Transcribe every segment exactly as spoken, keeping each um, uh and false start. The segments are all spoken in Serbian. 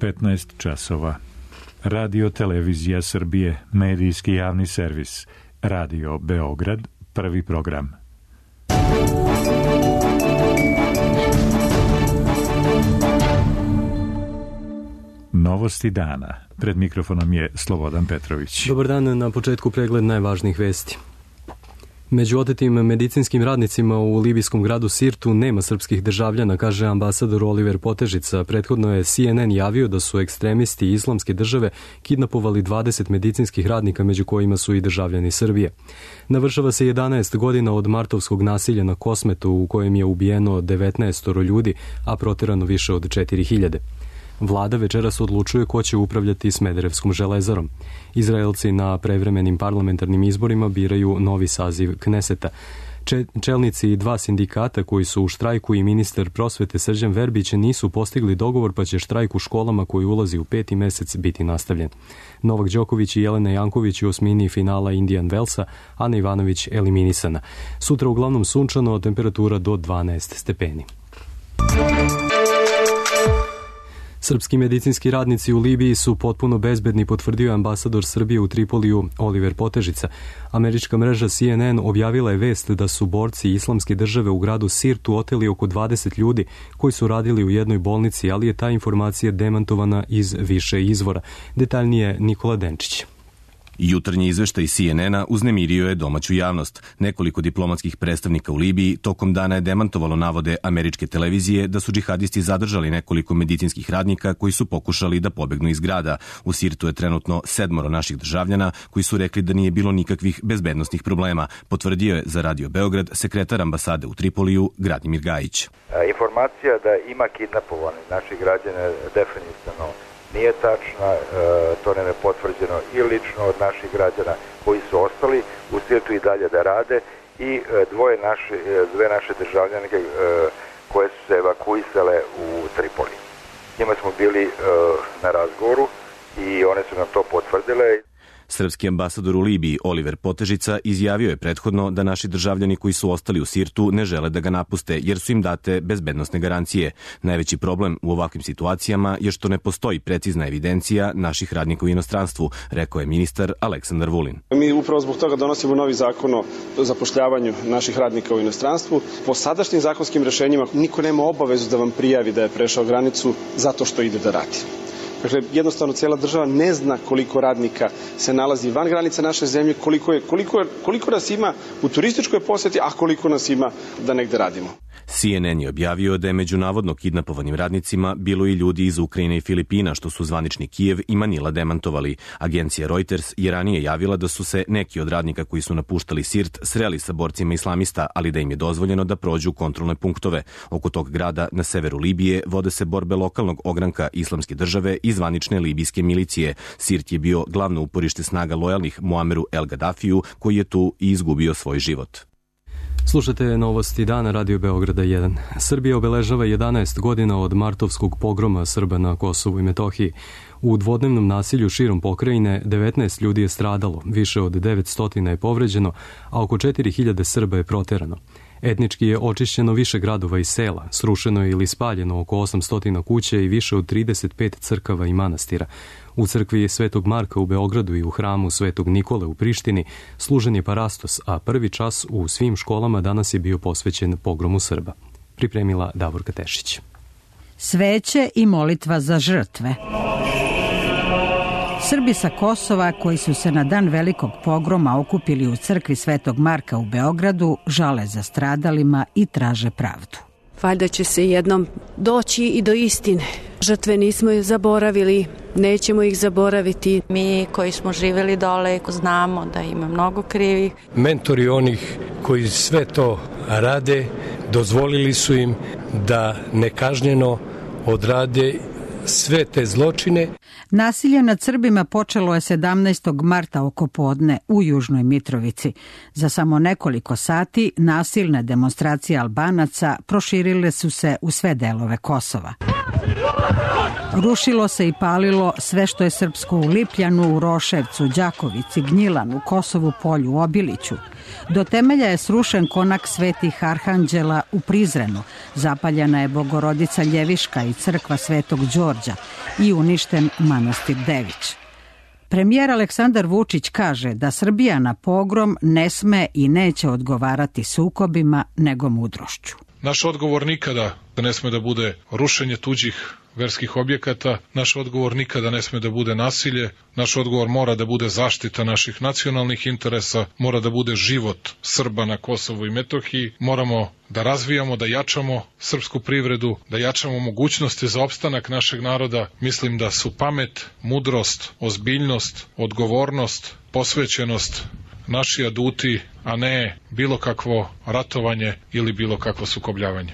petnaest časova. Radio Televizija Srbije, medijski javni servis. Radio Beograd, prvi program. Novosti dana. Pred mikrofonom je Slobodan Petrović. Dobar dan, na početku pregled najvažnijih vesti. Među otetim medicinskim radnicima u libijskom gradu Sirtu nema srpskih državljana, kaže ambasador Oliver Potežica. Prethodno je C N N javio da su ekstremisti Islamske države kidnapovali dvadeset medicinskih radnika, među kojima su i državljani Srbije. Navršava se jedanaest godina od martovskog nasilja na Kosmetu, u kojem je ubijeno devetnaest ljudi, a proterano više od četiri hiljade. Vlada večeras odlučuje ko će upravljati Smederevskom železarom. Izraelci na prevremenim parlamentarnim izborima biraju novi saziv Kneseta. Čelnici i dva sindikata koji su u štrajku i ministar prosvete Srđan Verbić nisu postigli dogovor, pa će štrajk u školama koji ulazi u peti mesec biti nastavljen. Novak Đoković i Jelena Janković u osmini finala Indian Wellsa, Ana Ivanović eliminisana. Sutra uglavnom sunčano, temperatura do dvanaest stepeni. Srpski medicinski radnici u Libiji su potpuno bezbedni, potvrdio ambasador Srbije u Tripoliju Oliver Potežica. Američka mreža C N N objavila je vest da su borci Islamske države u gradu Sirtu oteli oko dvadeset ljudi koji su radili u jednoj bolnici, ali je ta informacija demantovana iz više izvora. Detaljnije Nikola Denčić. Jutarnji izveštaj C N N-a uznemirio je domaću javnost. Nekoliko diplomatskih predstavnika u Libiji tokom dana je demantovalo navode američke televizije da su džihadisti zadržali nekoliko medicinskih radnika koji su pokušali da pobegnu iz grada. U Sirtu je trenutno sedmoro naših državljana koji su rekli da nije bilo nikakvih bezbednosnih problema, potvrdio je za Radio Beograd sekretar ambasade u Tripoliju Gradimir Gajić. Informacija da ima kidnapovani naših građana definitivno nije tačna, to nam je potvrđeno i lično od naših građana koji su ostali u Sirtu i dalje da rade i dvoje naše, dve naše državljanke koje su se evakuisale u Tripoli. Njima smo bili na razgovoru i one su nam to potvrdile. Srpski ambasador u Libiji Oliver Potežica izjavio je prethodno da naši državljani koji su ostali u Sirtu ne žele da ga napuste jer su im date bezbednosne garancije. Najveći problem u ovakvim situacijama je što ne postoji precizna evidencija naših radnika u inostranstvu, rekao je ministar Aleksandar Vulin. Mi upravo zbog toga donosimo novi zakon o zapošljavanju naših radnika u inostranstvu. Po sadašnjim zakonskim rešenjima niko nema obavezu da vam prijavi da je prešao granicu zato što ide da radi. Dakle, jednostavno cijela država ne zna koliko radnika se nalazi van granica naše zemlje, koliko, je, koliko, je, koliko nas ima u turističkoj posjeti, a koliko nas ima da negde radimo. C N N je objavio da je među navodno kidnapovanim radnicima bilo i ljudi iz Ukrajine i Filipina, što su zvanični Kijev i Manila demantovali. Agencija Reuters je ranije javila da su se neki od radnika koji su napuštali Sirt sreli sa borcima islamista, ali da im je dozvoljeno da prođu kontrolne punktove. Oko tog grada na severu Libije vode se borbe lokalnog ogranka Islamske države i zvanične libijske milicije. Sirt je bio glavno uporište snaga lojalnih Muameru El Gaddafiju, koji je tu i izgubio svoj život. Slušate novosti dana Radio Beograda jedan. Srbija obeležava jedanaest godina od martovskog pogroma Srba na Kosovu i Metohiji. U dvodnevnom nasilju širom pokrajine devetnaest ljudi je stradalo, više od devetsto je povređeno, a oko četiri hiljade Srba je proterano. Etnički je očišćeno više gradova i sela, srušeno je ili spaljeno oko osamsto kuća i više od trideset pet crkava i manastira. U crkvi Svetog Marka u Beogradu i u hramu Svetog Nikole u Prištini služen je parastos, a prvi čas u svim školama danas je bio posvećen pogromu Srba. Pripremila Davorka Tešić. Sveće i molitva za žrtve. Srbi sa Kosova koji su se na dan velikog pogroma okupili u crkvi Svetog Marka u Beogradu žale za stradalima i traže pravdu. Valjda će se jednom doći i do istine. Žrtve nismo ih zaboravili, nećemo ih zaboraviti. Mi koji smo živjeli dole znamo da ima mnogo krivih. Mentori onih koji sve to rade dozvolili su im da nekažnjeno odrade sve te zločine. Nasilje nad Srbima počelo je sedamnaestog marta oko podne u Južnoj Mitrovici. Za samo nekoliko sati nasilne demonstracije Albanaca proširile su se u sve delove Kosova. Rušilo se i palilo sve što je srpsko u Lipljanu, u Roševcu, Đakovici, Gnjilanu, Kosovu polju, Obiliću. Do temelja je srušen konak svetih arhanđela u Prizrenu, zapaljena je Bogorodica Ljeviška i crkva Svetog Đorđa i uništen manastir Dević. Premijer Aleksandar Vučić kaže da Srbija na pogrom ne sme i neće odgovarati sukobima nego mudrošću. Naš odgovor nikada ne sme da bude rušenje tuđih verskih objekata, naš odgovor nikada ne sme da bude nasilje, naš odgovor mora da bude zaštita naših nacionalnih interesa, mora da bude život Srba na Kosovu i Metohiji, moramo da razvijamo, da jačamo srpsku privredu, da jačamo mogućnosti za opstanak našeg naroda. Mislim da su pamet, mudrost, ozbiljnost, odgovornost, posvećenost naši aduti, a ne bilo kakvo ratovanje ili bilo kakvo sukobljavanje.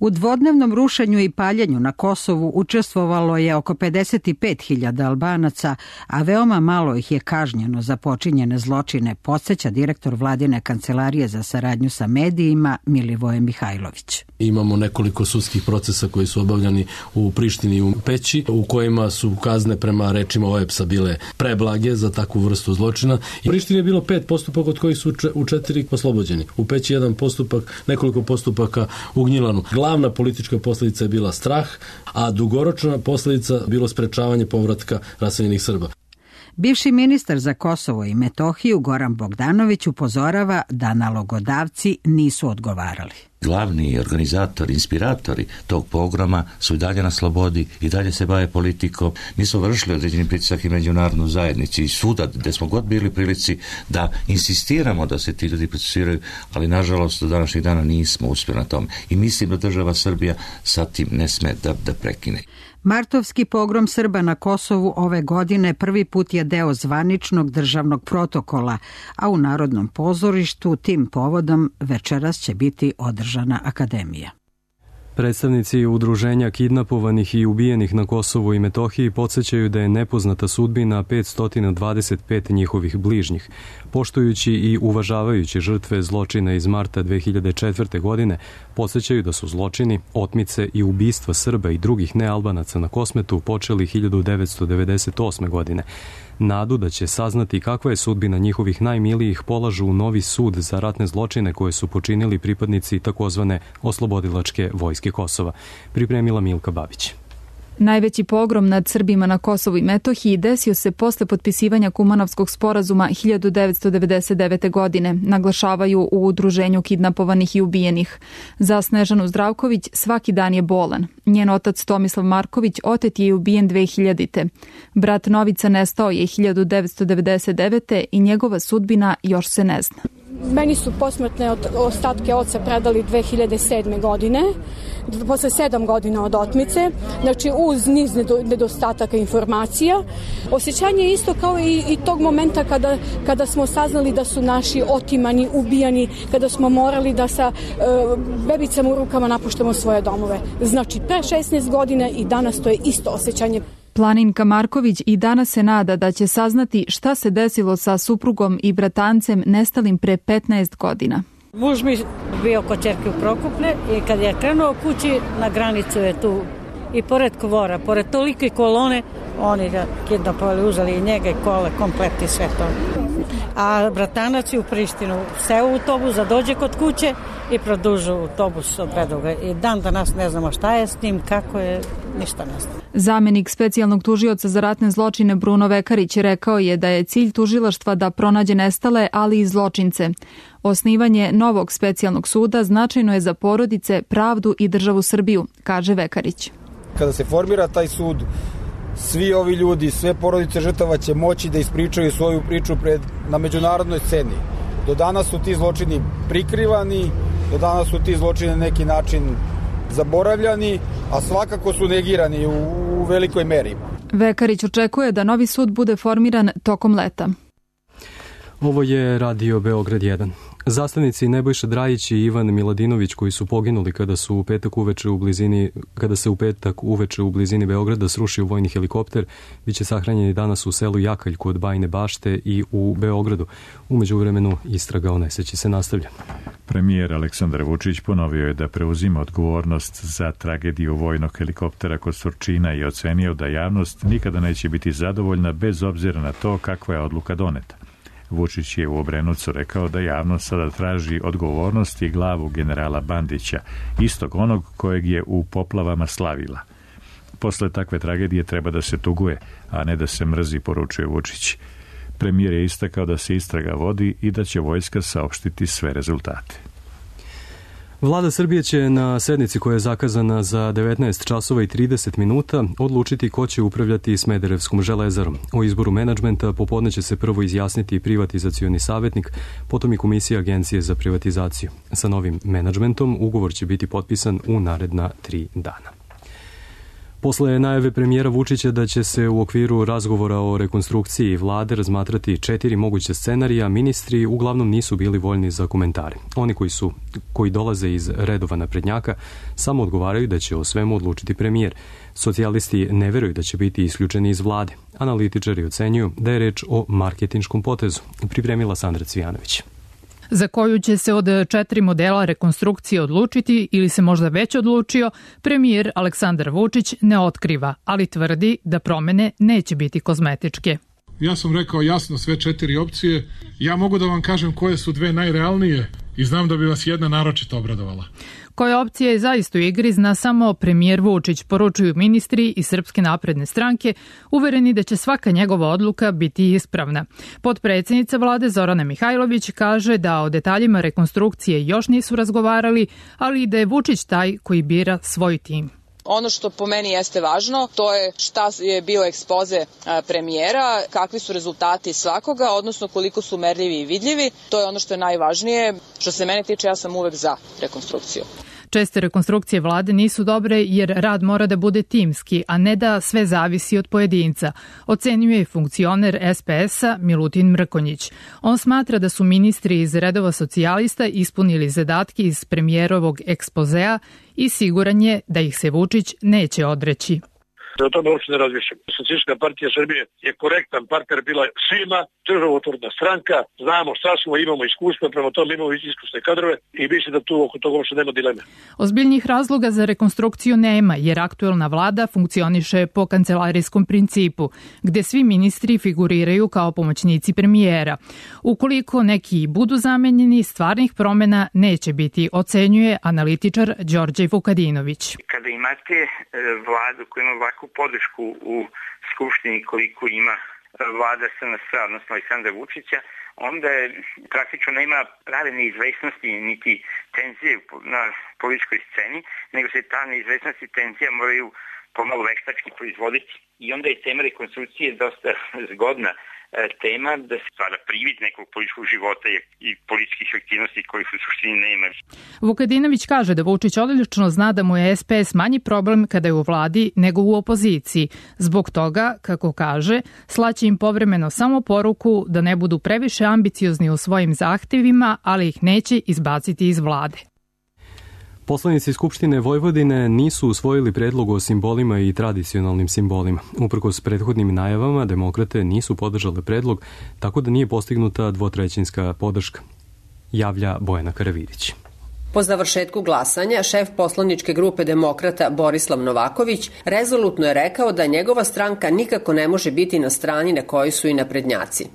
U dvodnevnom rušenju i paljenju na Kosovu učestvovalo je oko pedeset pet hiljada Albanaca, a veoma malo ih je kažnjeno za počinjene zločine, podsjeća direktor Vladine kancelarije za saradnju sa medijima Milivoje Mihajlović. Imamo nekoliko sudskih procesa koji su obavljani u Prištini i u Peći, u kojima su kazne prema rečima O E P S-a bile preblage za takvu vrstu zločina. U Prištini je bilo pet postupaka od kojih su u četiri oslobođeni. U Peći jedan postupak, nekoliko postupaka u Gnjilanu. Glavna politička posljedica je bila strah, a dugoročna posljedica bilo sprečavanje povratka raseljenih Srba. Bivši ministar za Kosovo i Metohiju Goran Bogdanović upozorava da nalogodavci nisu odgovarali. Glavni organizatori, inspiratori tog pogroma su i dalje na slobodi i dalje se bave politikom. Mi smo vršili određeni pritisak i međunarodnu zajednicu i svuda gde smo god bili prilici da insistiramo da se ti ljudi procesuiraju, ali nažalost do današnjih dana nismo uspjeli na tome. I mislim da država Srbija sa tim ne sme da, da prekine. Martovski pogrom Srba na Kosovu ove godine prvi put je deo zvaničnog državnog protokola, a u Narodnom pozorištu tim povodom večeras će biti održana akademija. Predstavnici udruženja kidnapovanih i ubijenih na Kosovu i Metohiji podsjećaju da je nepoznata sudbina petsto dvadeset pet njihovih bližnjih. Poštujući i uvažavajući žrtve zločina iz marta dve hiljade četvrte. godine, podsjećaju da su zločini, otmice i ubistva Srba i drugih nealbanaca na Kosmetu počeli hiljadu devetsto devedeset osme. godine. Nadu da će saznati kakva je sudbina njihovih najmilijih polažu u novi sud za ratne zločine koje su počinili pripadnici takozvane oslobodilačke vojske Kosova. Pripremila Milka Babić. Najveći pogrom nad Srbima na Kosovu i Metohiji desio se posle potpisivanja Kumanovskog sporazuma hiljadu devetsto devedeset devete. godine, naglašavaju u udruženju kidnapovanih i ubijenih. Za Snežanu Zdravković svaki dan je bolan. Njen otac Tomislav Marković otet je i ubijen dve hiljadite. Brat Novica nestao je hiljadu devetsto devedeset devete. i njegova sudbina još se ne zna. Meni su posmrtne ostatke oca predali dve hiljade sedme. godine, posle sedam godina od otmice, znači uz niz nedostataka informacija. Osjećanje je isto kao i, i tog momenta kada, kada smo saznali da su naši otimani, ubijani, kada smo morali da sa e, bebicama u rukama napuštamo svoje domove. Znači pre šesnaest godina i danas to je isto osjećanje. Planinka Marković i danas se nada da će saznati šta se desilo sa suprugom i bratancem nestalim pre petnaest godina. Muž mi bio kod ćerke u Prokuplje i kad je krenuo kući, na granicu je tu i pored Kvora, pored tolike kolone, oni ga kidnapovali, uzeli i njega i kole, kompleti sve to. A bratanac je u Prištinu seo u autobus, dođe kod kuće i produžu autobus, odvedu ga. I dan danas ne znamo šta je s njim, kako je, ništa ne znamo. Zamenik specijalnog tužioca za ratne zločine Bruno Vekarić rekao je da je cilj tužilaštva da pronađe nestale, ali i zločince. Osnivanje novog specijalnog suda značajno je za porodice, pravdu i državu Srbiju, kaže Vekarić. Kada se formira taj sud, svi ovi ljudi, sve porodice žrtava će moći da ispričaju svoju priču pred, na međunarodnoj sceni. Do danas su ti zločini prikrivani, do danas su ti zločini na neki način zaboravljani, a svakako su negirani u, u velikoj meri. Vekarić očekuje da novi sud bude formiran tokom leta. Ovo je Radio Beograd jedan. Zastavnici Nebojša Drajić i Ivan Miladinović, koji su poginuli kada su u petak uveče u blizini kada se u petak uveče u blizini Beograda srušio vojni helikopter, biće sahranjeni danas u selu Jakalj kod Bajine Bašte i u Beogradu. U međuvremenu istraga o nesreći se nastavlja. Premijer Aleksandar Vučić ponovio je da preuzima odgovornost za tragediju vojnog helikoptera kod Surčina i ocenio da javnost nikada neće biti zadovoljna bez obzira na to kakva je odluka doneta. Vučić je u Obrenovcu rekao da javnost sada traži odgovornost i glavu generala Bandića, istog onog kojeg je u poplavama slavila. Posle takve tragedije treba da se tuguje, a ne da se mrzi, poručuje Vučić. Premijer je istakao da se istraga vodi i da će vojska saopštiti sve rezultate. Vlada Srbije će na sednici koja je zakazana za devetnaest časova i trideset minuta odlučiti ko će upravljati Smederevskom železarom. O izboru menadžmenta popodne će se prvo izjasniti privatizacioni savjetnik, potom i Komisija Agencije za privatizaciju. Sa novim menadžmentom ugovor će biti potpisan u naredna tri dana. Posle najave premijera Vučića da će se u okviru razgovora o rekonstrukciji vlade razmatrati četiri moguće scenarija, ministri uglavnom nisu bili voljni za komentare. Oni koji su koji dolaze iz redova naprednjaka samo odgovaraju da će o svemu odlučiti premijer. Socijalisti ne veruju da će biti isključeni iz vlade. Analitičari ocenjuju da je reč o marketinškom potezu. Pripremila Sandra Cvijanović. Za koju će se od četiri modela rekonstrukcije odlučiti ili se možda već odlučio, premijer Aleksandar Vučić ne otkriva, ali tvrdi da promene neće biti kozmetičke. Ja sam rekao jasno sve četiri opcije. Ja mogu da vam kažem koje su dve najrealnije i znam da bi vas jedna naročito obradovala. Koja opcija je zaista u igri zna samo premijer Vučić, poručuju ministri iz Srpske napredne stranke, uvereni da će svaka njegova odluka biti ispravna. Potpredsednica vlade Zorana Mihajlović kaže da o detaljima rekonstrukcije još nisu razgovarali, ali i da je Vučić taj koji bira svoj tim. Ono što po meni jeste važno, to je šta je bio ekspoze premijera, kakvi su rezultati svakoga, odnosno koliko su merljivi i vidljivi. To je ono što je najvažnije. Što se mene tiče, ja sam uvek za rekonstrukciju. Česte rekonstrukcije vlade nisu dobre jer rad mora da bude timski, a ne da sve zavisi od pojedinca, ocenjuje i funkcioner es pe es-a Milutin Mrkonjić. On smatra da su ministri iz redova socijalista ispunili zadatke iz premijerovog ekspozea i siguran je da ih se Vučić neće odreći. O tome uopšte ne razmišljam. Socijalistička partija Srbije je korektan partner bila svima, državotvorna stranka, znamo šta smo, imamo iskustva, prema tome imamo iskusne kadrove i mislim da tu oko toga uopšte nema dileme. Ozbiljnih razloga za rekonstrukciju nema, jer aktuelna vlada funkcioniše po kancelarijskom principu, gde svi ministri figuriraju kao pomoćnici premijera. Ukoliko neki budu zamenjeni, stvarnih promena neće biti, ocenjuje analitičar Đorđe Vukadinović. Kada imate vladu koja ima ovakvu podršku u Skupštini koliko ima vlada es en es, odnosno Aleksandra Vučića, onda je, praktično nema prave neizvesnosti niti tenzije na političkoj sceni, nego se ta neizvesnost i tenzija moraju pomalo veštački proizvoditi i onda je tema rekonstrukcije dosta zgodna tema da se stvara privid nekog političkog života i političkih aktivnosti kojih u suštini nema. Vukadinović kaže da Vučić odlično zna da mu je es pe es manji problem kada je u vladi nego u opoziciji. Zbog toga, kako kaže, slaće im povremeno samo poruku da ne budu previše ambiciozni u svojim zahtevima, ali ih neće izbaciti iz vlade. Poslanici Skupštine Vojvodine nisu usvojili predlog o simbolima i tradicionalnim simbolima. Uprkos prethodnim najavama, demokrate nisu podržale predlog, tako da nije postignuta dvotrećinska podrška, javlja Bojana Karavidić. Po završetku glasanja, šef poslaničke grupe demokrata Borislav Novaković rezolutno je rekao da njegova stranka nikako ne može biti na strani na kojoj su i naprednjaci.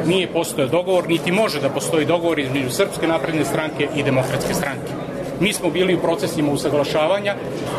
Nije postojao dogovor, niti može da postoji dogovor između Srpske napredne stranke i Demokratske stranke. Mi smo bili u procesima usaglašavanja,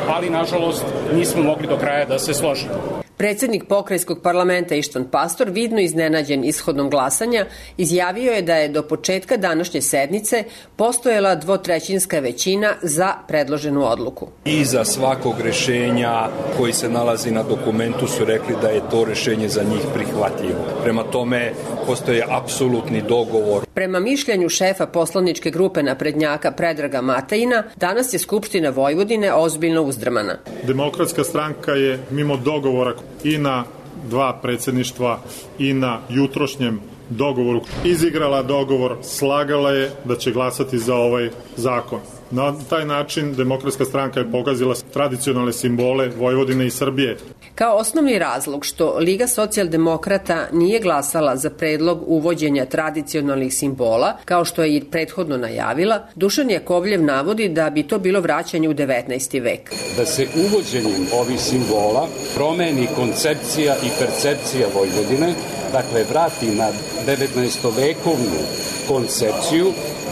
ali nažalost nismo mogli do kraja da se složimo. Predsednik pokrajinskog parlamenta Ištvan Pastor, vidno iznenađen ishodom glasanja, izjavio je da je do početka današnje sednice postojala dvotrećinska većina za predloženu odluku. Iza svakog rešenja koji se nalazi na dokumentu su rekli da je to rešenje za njih prihvatljivo. Prema tome postoje apsolutni dogovor. Prema mišljenju šefa poslaničke grupe naprednjaka Predraga Matajina, danas je Skupština Vojvodine ozbiljno uzdrmana. Demokratska stranka je mimo dogovora i na dva predsjedništva i na jutrošnjem dogovoru. Izigrala dogovor, slagala je da će glasati za ovaj zakon. Na taj način Demokratska stranka je pogazila tradicionalne simbole Vojvodine i Srbije. Kao osnovni razlog što Liga socijaldemokrata nije glasala za predlog uvođenja tradicionalnih simbola, kao što je i prethodno najavila, Dušan Jakovljev navodi da bi to bilo vraćanje u devetnaesti vek. Da se uvođenjem ovih simbola promeni koncepcija i percepcija Vojvodine, dakle vrati na devetnaestovekovnu koncepciju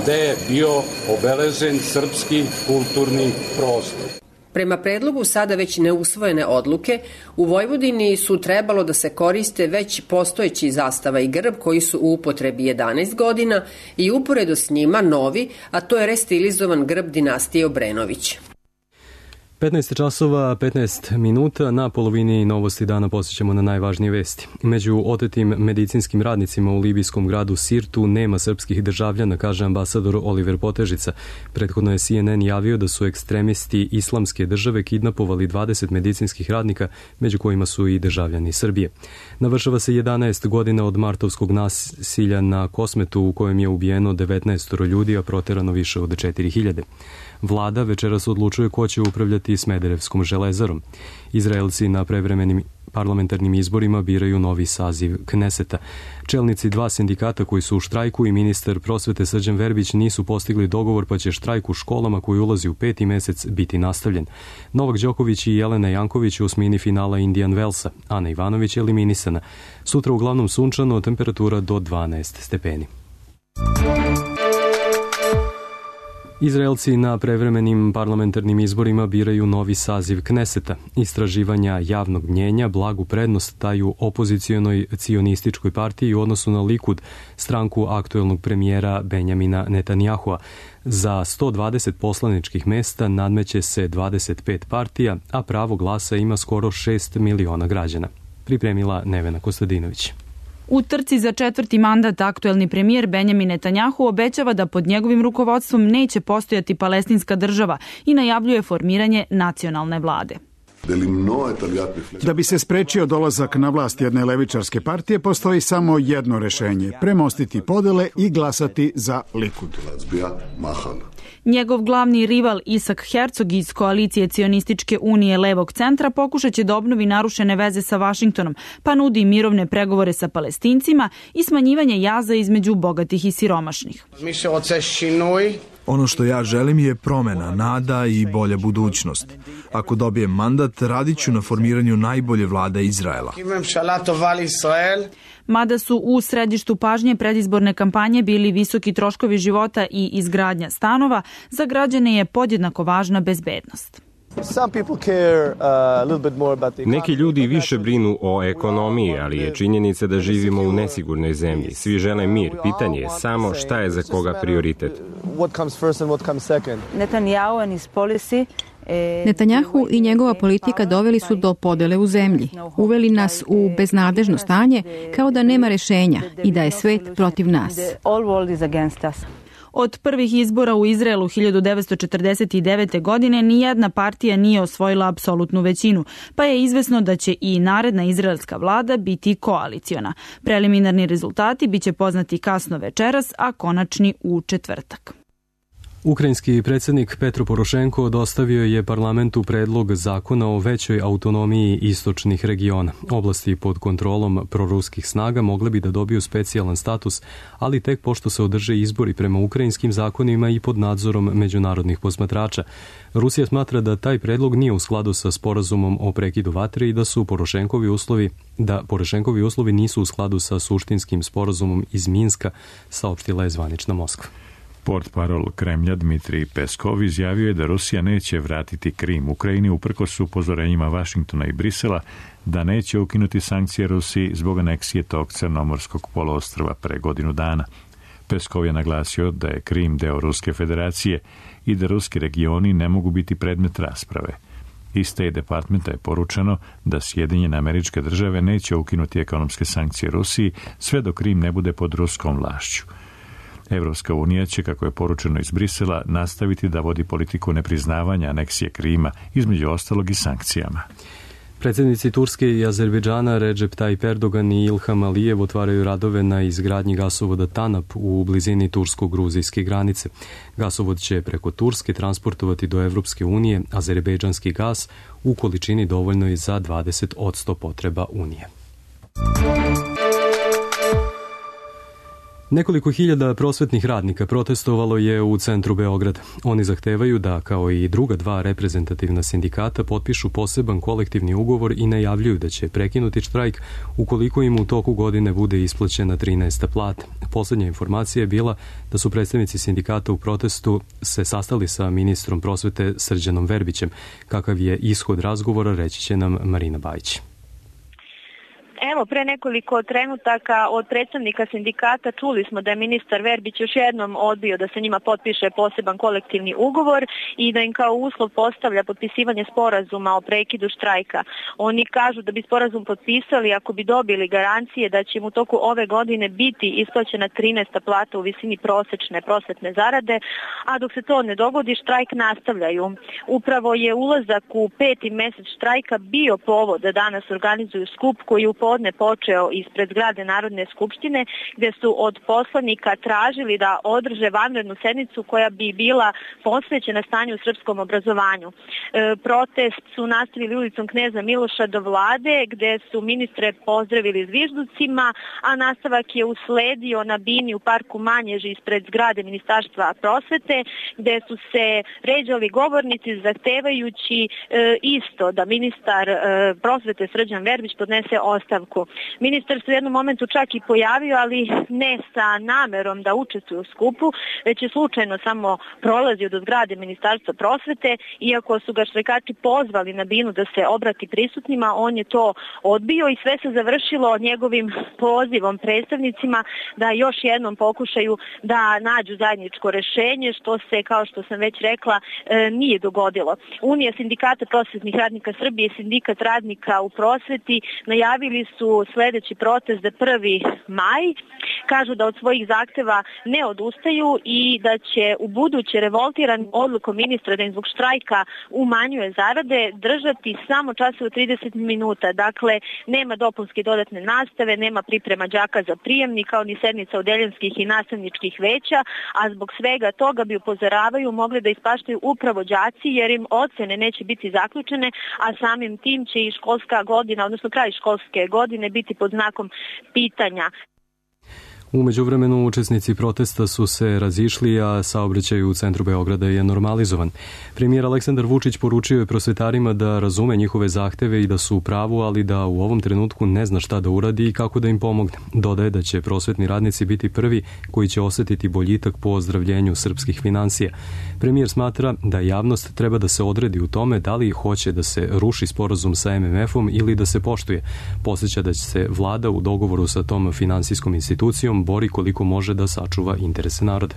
gde je bio obeležen srpski kulturni prostor. Prema predlogu sada već neusvojene odluke, u Vojvodini su trebalo da se koriste već postojeći zastava i grb koji su u upotrebi jedanaest godina i uporedo s njima novi, a to je restilizovan grb dinastije Obrenović. petnaest časova petnaest minuta, na polovini novosti dana posjećamo na najvažnije vesti. Među otetim medicinskim radnicima u libijskom gradu Sirtu nema srpskih državljana, kaže ambasador Oliver Potežica. Prethodno je C N N javio da su ekstremisti islamske države kidnapovali dvadeset medicinskih radnika, među kojima su i državljani Srbije. Navršava se jedanaest godina od martovskog nasilja na Kosmetu u kojem je ubijeno devetnaest ljudi, a proterano više od četiri hiljade. Vlada večeras odlučuje ko će upravljati Smederevskom železarom. Izraelci na prevremenim parlamentarnim izborima biraju novi saziv Kneseta. Čelnici dva sindikata koji su u štrajku i ministar prosvete Srđan Verbić nisu postigli dogovor, pa će štrajk u školama koji ulazi u peti mesec biti nastavljen. Novak Đoković i Jelena Janković u osmini finala Indian Wellsa. Ana Ivanović je eliminisana. Sutra uglavnom sunčano, temperatura do dvanaest stepeni. Izraelci na prevremenim parlamentarnim izborima biraju novi saziv Kneseta. Istraživanja javnog mnjenja blagu prednost daju opozicionoj cionističkoj partiji u odnosu na Likud, stranku aktuelnog premijera Benjamina Netanjahua. Za sto dvadeset poslaničkih mesta nadmeće se dvadeset pet partija, a pravo glasa ima skoro šest miliona građana. Pripremila Nevena Kostadinović. U trci za četvrti mandat aktuelni premijer Benjamin Netanjahu obećava da pod njegovim rukovodstvom neće postojati palestinska država i najavljuje formiranje nacionalne vlade. Da bi se sprečio dolazak na vlast jedne levičarske partije, postoji samo jedno rešenje – premostiti podele i glasati za Likud. Njegov glavni rival Isak Herzog iz koalicije Cionističke unije levog centra pokušat će da obnovi narušene veze sa Vašingtonom, pa nudi mirovne pregovore sa Palestincima i smanjivanje jaza između bogatih i siromašnih. Ono što ja želim je promena, nada i bolja budućnost. Ako dobijem mandat, radit ću na formiranju najbolje vlade Izraela. Mada su u središtu pažnje predizborne kampanje bili visoki troškovi života i izgradnja stanova, za građane je podjednako važna bezbednost. Neki ljudi više brinu o ekonomiji, ali je činjenica da živimo u nesigurnoj zemlji. Svi žele mir. Pitanje je samo šta je za koga prioritet. Netanjahu i njegova politika doveli su do podele u zemlji. Uveli nas u beznadežno stanje, kao da nema rešenja i da je svet protiv nas. Od prvih izbora u Izraelu hiljadu devetsto četrdeset devete. godine nijedna partija nije osvojila apsolutnu većinu, pa je izvesno da će i naredna izraelska vlada biti koaliciona. Preliminarni rezultati biće poznati kasno večeras, a konačni u četvrtak. Ukrajinski predsjednik Petro Porošenko dostavio je parlamentu predlog zakona o većoj autonomiji istočnih regiona. Oblasti pod kontrolom proruskih snaga mogle bi da dobiju specijalan status, ali tek pošto se održe izbori prema ukrajinskim zakonima i pod nadzorom međunarodnih posmatrača. Rusija smatra da taj predlog nije u skladu sa sporazumom o prekidu vatre i da su Porošenkovi uslovi, da Porošenkovi uslovi nisu u skladu sa suštinskim sporazumom iz Minska, saopštila je zvanična Moskva. Portparol Kremlja Dmitrij Peskov izjavio je da Rusija neće vratiti Krim Ukrajini uprkos upozorenjima Vašingtona i Brisela da neće ukinuti sankcije Rusiji zbog aneksije tog crnomorskog poluostrva pre godinu dana. Peskov je naglasio da je Krim deo Ruske federacije i da ruski regioni ne mogu biti predmet rasprave. Iz State Departmenta je poručeno da Sjedinjene Američke Države neće ukinuti ekonomske sankcije Rusiji sve dok Krim ne bude pod ruskom vlašću. Evropska unija će, kako je poručeno iz Brisela, nastaviti da vodi politiku nepriznavanja aneksije Krima, između ostalog i sankcijama. Predsjednici Turske i Azerbejdžana Recep Tayyip Erdogan i Ilham Alijev otvaraju radove na izgradnji gasovoda Tanap u blizini tursko-gruzijske granice. Gasovod će preko Turske transportovati do Evropske unije azerbejdžanski gas u količini dovoljnoj za dvadeset posto potreba Unije. Nekoliko hiljada prosvetnih radnika protestovalo je u centru Beograda. Oni zahtevaju da, kao i druga dva reprezentativna sindikata, potpišu poseban kolektivni ugovor i najavljuju da će prekinuti štrajk ukoliko im u toku godine bude isplaćena trinaesta plata. Poslednja informacija je bila da su predstavnici sindikata u protestu se sastali sa ministrom prosvete Srđanom Verbićem. Kakav je ishod razgovora, reći će nam Marina Bajić. Evo, pre nekoliko trenutaka od predstavnika sindikata čuli smo da je ministar Verbić još jednom odbio da se njima potpiše poseban kolektivni ugovor i da im kao uslov postavlja potpisivanje sporazuma o prekidu štrajka. Oni kažu da bi sporazum potpisali ako bi dobili garancije da će im u toku ove godine biti isplaćena trinaesta plata u visini prosečne prosvetne zarade, a dok se to ne dogodi, štrajk nastavljaju. Upravo je ulazak u peti mesec štrajka bio povod da danas organizuju skup koji u podne počeo ispred zgrade Narodne skupštine, gde su od poslanika tražili da održe vanrednu sednicu koja bi bila posvećena stanju u srpskom obrazovanju. E, protest su nastavili ulicom Kneza Miloša do vlade, gde su ministre pozdravili zvižducima, a nastavak je usledio na bini u parku Manježi ispred zgrade Ministarstva prosvete, gde su se ređali govornici zahtevajući e, isto da ministar e, prosvete Srđan Verbić podnese ostavku. Ministar se u jednom momentu čak i pojavio, ali ne sa namerom da učestvuje u skupu, već je slučajno samo prolazio do zgrade Ministarstva prosvete. Iako su ga štrajkači pozvali na binu da se obrati prisutnima, on je to odbio i sve se završilo njegovim pozivom predstavnicima da još jednom pokušaju da nađu zajedničko rešenje, što se, kao što sam već rekla, nije dogodilo. Unija sindikata prosvetnih radnika Srbije i sindikat radnika u prosveti najavili su sledeći protest za prvi maj. Kažu da od svojih zahteva ne odustaju i da će u buduće revoltiran odlukom ministra da im zbog štrajka umanjuje zarade držati samo časove trideset minuta. Dakle, nema dopunske dodatne nastave, nema priprema đaka za prijemni, kao ni sednica odeljenskih i nastavničkih veća, a zbog svega toga bi, upozoravaju, mogli da ispaštaju upravo đaci jer im ocene neće biti zaključene, a samim tim će i školska godina, odnosno kraj školske godine biti pod znakom pitanja. U međuvremenu učesnici protesta su se razišli, a saobraćaj u centru Beograda je normalizovan. Premijer Aleksandar Vučić poručio je prosvetarima da razume njihove zahteve i da su u pravu, ali da u ovom trenutku ne zna šta da uradi i kako da im pomogne. Dodaje da će prosvetni radnici biti prvi koji će osetiti boljitak po ozdravljenju srpskih finansija. Premijer smatra da javnost treba da se odredi u tome da li hoće da se ruši sporazum sa em em efom ili da se poštuje. Podseća da će se vlada u dogovoru sa tom finansijskom institucijom bori koliko može da sačuva interese naroda.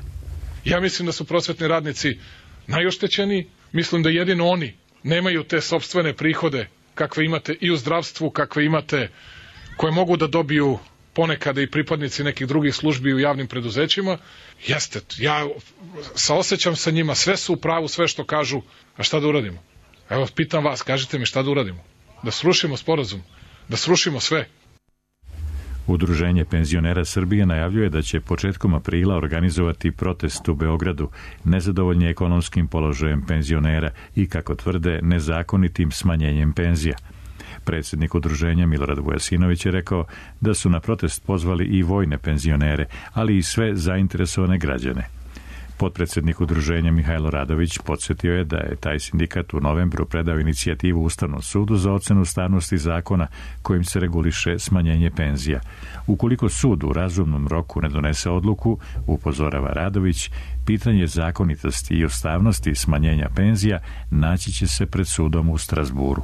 Ja mislim da su prosvetni radnici najoštećeniji. Mislim da jedino oni nemaju te sopstvene prihode kakve imate i u zdravstvu, kakve imate, koje mogu da dobiju ponekada i pripadnici nekih drugih službi u javnim preduzećima. Jeste, ja saosećam sa njima, sve su u pravu, sve što kažu, a šta da uradimo? Evo, pitam vas, kažite mi šta da uradimo? Da srušimo sporazum, da srušimo sve. Udruženje penzionera Srbije najavljuje da će početkom aprila organizovati protest u Beogradu nezadovoljni ekonomskim položajem penzionera i, kako tvrde, nezakonitim smanjenjem penzija. Predsjednik udruženja Milorad Vujasinović je rekao da su na protest pozvali i vojne penzionere, ali i sve zainteresovane građane. Potpredsjednik udruženja Mihajlo Radović podsjetio je da je taj sindikat u novembru predao inicijativu Ustavnom sudu za ocenu ustavnosti zakona kojim se reguliše smanjenje penzija. Ukoliko sud u razumnom roku ne donese odluku, upozorava Radović, pitanje zakonitosti i ustavnosti smanjenja penzija naći će se pred sudom u Strazburu.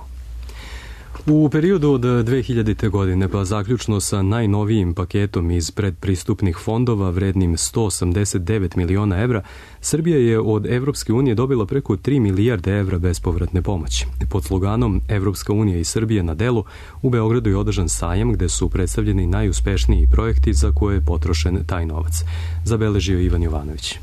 U periodu od dve hiljadite. godine pa zaključno sa najnovijim paketom iz predpristupnih fondova vrednim sto osamdeset devet miliona evra, Srbija je od Evropske unije dobila preko tri milijarde evra bespovratne pomoći. Pod sloganom Evropska unija i Srbija na delu u Beogradu je održan sajam gde su predstavljeni najuspešniji projekti za koje je potrošen taj novac. Zabeležio Ivan Jovanović.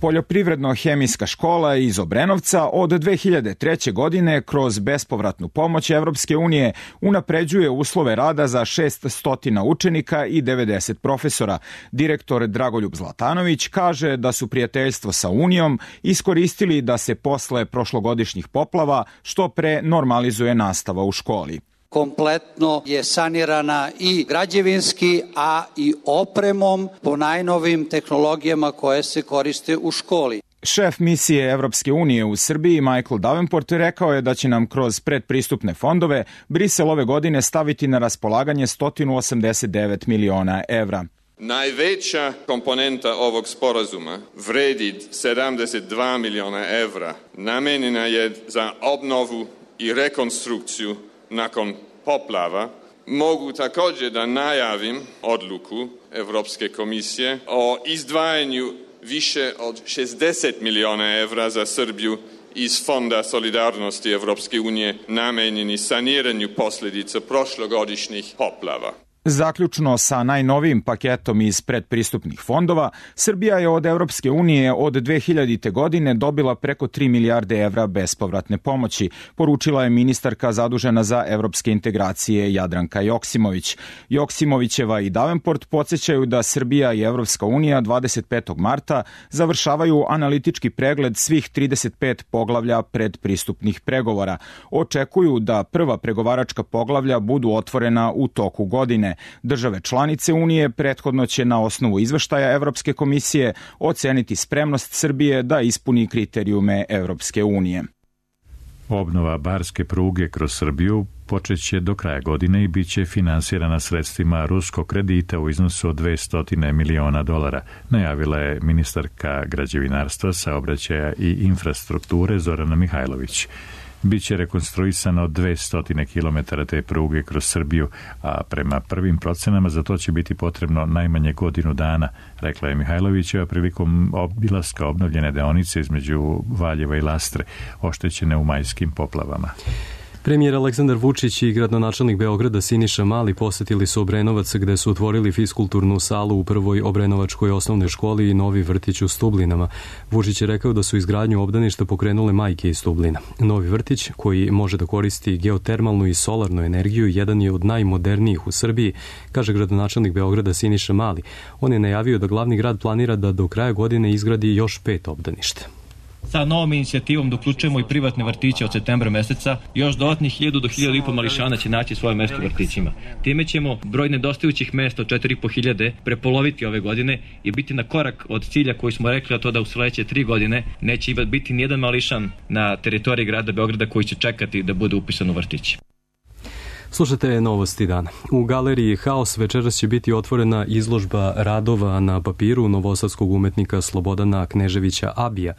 Poljoprivredno-hemijska škola iz Obrenovca od dve hiljade treće. godine kroz bespovratnu pomoć Evropske unije unapređuje uslove rada za šesnaest učenika i devedeset profesora. Direktor Dragoljub Zlatanović kaže da su prijateljstvo sa Unijom iskoristili da se posle prošlogodišnjih poplava što pre normalizuje nastava u školi. Kompletno je sanirana i građevinski, a i opremom po najnovim tehnologijama koje se koriste u školi. Šef misije Evropske unije u Srbiji Michael Davenport rekao je da će nam kroz predpristupne fondove Brisel ove godine staviti na raspolaganje sto osamdeset devet miliona evra. Najveća komponenta ovog sporazuma vredi sedamdeset dva miliona evra. Namenjena je za obnovu i rekonstrukciju nakon poplava. Mogu također da najavim odluku Evropske komisije o izdvajanju više od šezdeset miliona evra za Srbiju iz Fonda solidarnosti Evropske unije namenjeni saniranju posljedica prošlogodišnjih poplava. Zaključno sa najnovijim paketom iz predpristupnih fondova, Srbija je od Evropske unije od dve hiljadite. godine dobila preko tri milijarde evra bespovratne pomoći, poručila je ministarka zadužena za evropske integracije Jadranka Joksimović. Joksimovićeva i Davenport podsjećaju da Srbija i Evropska unija dvadeset petog marta završavaju analitički pregled svih trideset pet poglavlja predpristupnih pregovora. Očekuju da prva pregovaračka poglavlja budu otvorena u toku godine. Države članice Unije prethodno će na osnovu izveštaja Evropske komisije oceniti spremnost Srbije da ispuni kriterijume Evropske unije. Obnova barske pruge kroz Srbiju počeće do kraja godine i bit će finansirana sredstvima ruskog kredita u iznosu od dvesta miliona dolara, najavila je ministarka građevinarstva, saobraćaja i infrastrukture Zorana Mihajlović. Biće rekonstruisano dvesta kilometara te pruge kroz Srbiju, a prema prvim procenama za to će biti potrebno najmanje godinu dana, rekla je Mihajlovićeva prilikom obilaska obnovljene deonice između Valjeva i Lastre, oštećene u majskim poplavama. Premijer Aleksandar Vučić i gradonačelnik Beograda Siniša Mali posetili su Obrenovac gde su otvorili fiskulturnu salu u prvoj obrenovačkoj osnovnoj školi i novi vrtić u Stublinama. Vučić je rekao da su izgradnju obdaništa pokrenule majke iz Stublina. Novi vrtić, koji može da koristi geotermalnu i solarnu energiju, jedan je od najmodernijih u Srbiji, kaže gradonačelnik Beograda Siniša Mali. On je najavio da glavni grad planira da do kraja godine izgradi još pet obdaništa. Sa novom inicijativom da uključujemo i privatne vrtiće od septembra meseca, još dodatnih hiljadu do hiljadu i po mališana će naći svoje mesto u vrtićima. Time ćemo broj nedostajućih mesta od četiri i po hiljade prepoloviti ove godine i biti na korak od cilja koji smo rekli, a to da u sledeće tri godine neće biti nijedan mališan na teritoriji grada Beograda koji će čekati da bude upisan u vrtić. Slušajte novosti dana. U galeriji Haos večeras će biti otvorena izložba radova na papiru novosadskog umetnika Slobodana Kneževića Abija.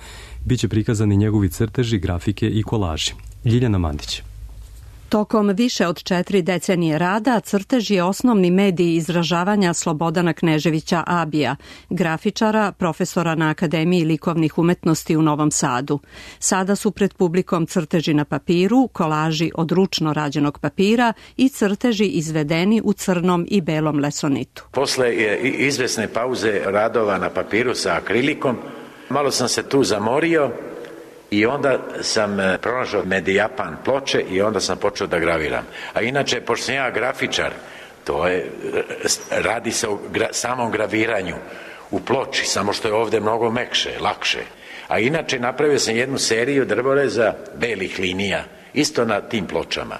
Biće prikazani njegovi crteži, grafike i kolaži. Ljiljana Mandić. Tokom više od četiri decenije rada, crtež je osnovni medij izražavanja Slobodana Kneževića Abija, grafičara, profesora na Akademiji likovnih umetnosti u Novom Sadu. Sada su pred publikom crteži na papiru, kolaži od ručno rađenog papira i crteži izvedeni u crnom i belom lesonitu. Posle izvesne pauze radova na papiru sa akrilikom, malo sam se tu zamorio, i onda sam pronašao Medijapan ploče i onda sam počeo da graviram. A inače, pošto sam ja grafičar, to je, radi se o gra, samom graviranju u ploči, samo što je ovde mnogo mekše, lakše. A inače, napravio sam jednu seriju drvoreza belih linija, isto na tim pločama.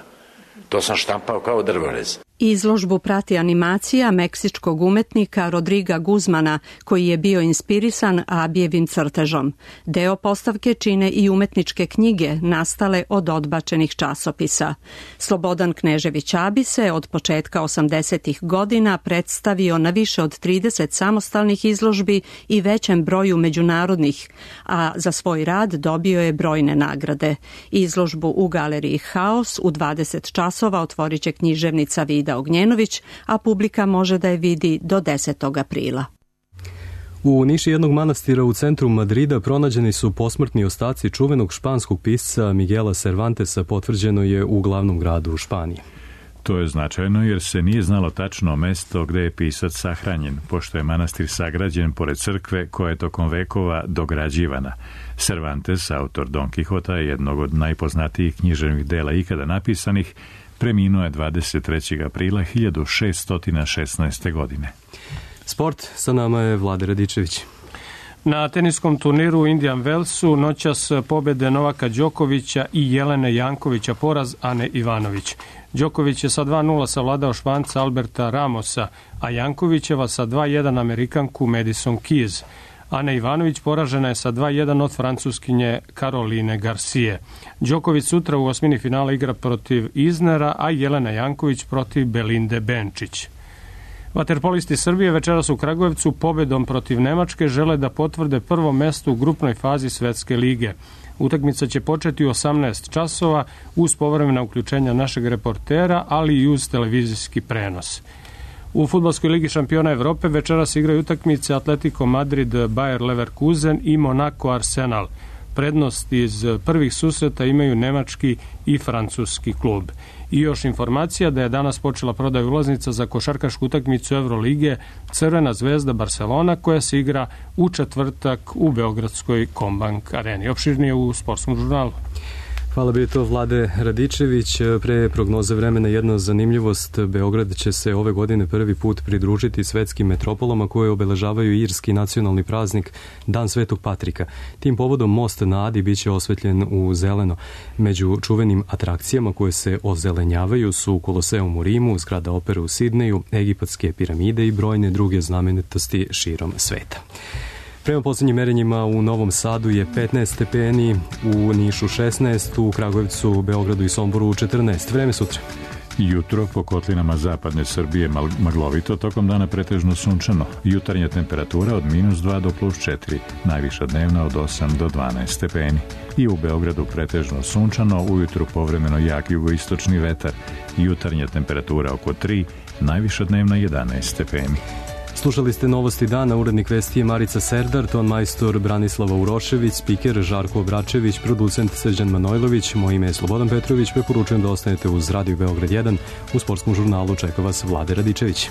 To sam štampao kao drvorez. Izložbu prati animacija meksičkog umetnika Rodriga Guzmana, koji je bio inspirisan Abijevim crtežom. Deo postavke čine i umetničke knjige nastale od odbačenih časopisa. Slobodan Knežević Abi se od početka osamdesetih godina predstavio na više od trideset samostalnih izložbi i većem broju međunarodnih, a za svoj rad dobio je brojne nagrade. Izložbu u galeriji Haos u dvadeset časova otvorit će književnica Vida Ognjenović, a publika može da je vidi do desetog aprila. U niši jednog manastira u centru Madrida pronađeni su posmrtni ostaci čuvenog španskog pisca Miguela Cervantesa, potvrđeno je u glavnom gradu u Španiji. To je značajno jer se nije znalo tačno mesto gde je pisac sahranjen, pošto je manastir sagrađen pored crkve koja je tokom vekova dograđivana. Cervantes, autor Don Quixota, jednog od najpoznatijih književnih dela ikada napisanih, preminuo je dvadeset trećeg aprila hiljadu šeststo šesnaeste. godine. Sport, sa nama je Vlade Radičević. Na teniskom turniru u Indian Wellsu noćas pobede Novaka Đokovića i Jelene Jankovića, poraz Ane Ivanović. Đoković je sa dva nula savladao Španca Alberta Ramosa, a Jankovićeva sa dva jedan Amerikanku Madison Keys. Ana Ivanović poražena je sa dva jedan od Francuskinje Caroline Garcije. Đoković sutra u osmini finala igra protiv Iznera, a Jelena Janković protiv Belinde Benčić. Vaterpolisti Srbije večeras u Kragujevcu pobedom protiv Nemačke žele da potvrde prvo mesto u grupnoj fazi Svetske lige. Utakmica će početi u osamnaest časova uz povremena uključenja našeg reportera, ali i uz televizijski prenos. U fudbalskoj ligi šampiona Evrope večeras igraju utakmice Atletico Madrid, Bayer Leverkusen i Monaco Arsenal. Prednost iz prvih susreta imaju nemački i francuski klub. I još informacija da je danas počela prodaja ulaznica za košarkašku utakmicu Evrolige Crvena zvezda Barcelona, koja se igra u četvrtak u Beogradskoj Kombank areni. Opširnije u Sportskom žurnalu. Hvala bi to Vlade Radičević. Pre prognoze vremena jedna zanimljivost. Beograd će se ove godine prvi put pridružiti svetskim metropolama koje obeležavaju irski nacionalni praznik Dan Svetog Patrika. Tim povodom most na Adi biće osvetljen u zeleno. Među čuvenim atrakcijama koje se ozelenjavaju su Koloseum u Rimu, zgrada opere u Sidneju, egipatske piramide i brojne druge znamenitosti širom sveta. Prema posljednjim merenjima u Novom Sadu je petnaest stepeni, u Nišu šesnaest, u Kragujevcu, Beogradu i Somboru četrnaest. Vreme sutra. Jutro po kotlinama zapadne Srbije maglovito, tokom dana pretežno sunčano. Jutarnja temperatura od minus dva do plus četiri, najviša dnevna od osam do dvanaest stepeni. I u Beogradu pretežno sunčano, ujutru povremeno jak jugoistočni vetar. Jutarnja temperatura oko tri, najviša dnevna jedanaest stepeni. Slušali ste Novosti dana, urednik vesti je Marica Serdar, ton majstor Branislava Urošević, spiker Žarko Obračević, producent Srđan Manojlović, moje ime je Slobodan Petrović, preporučujem da ostanete uz Radio Beograd jedan, u Sportskom žurnalu čeka vas Vlade Radičević.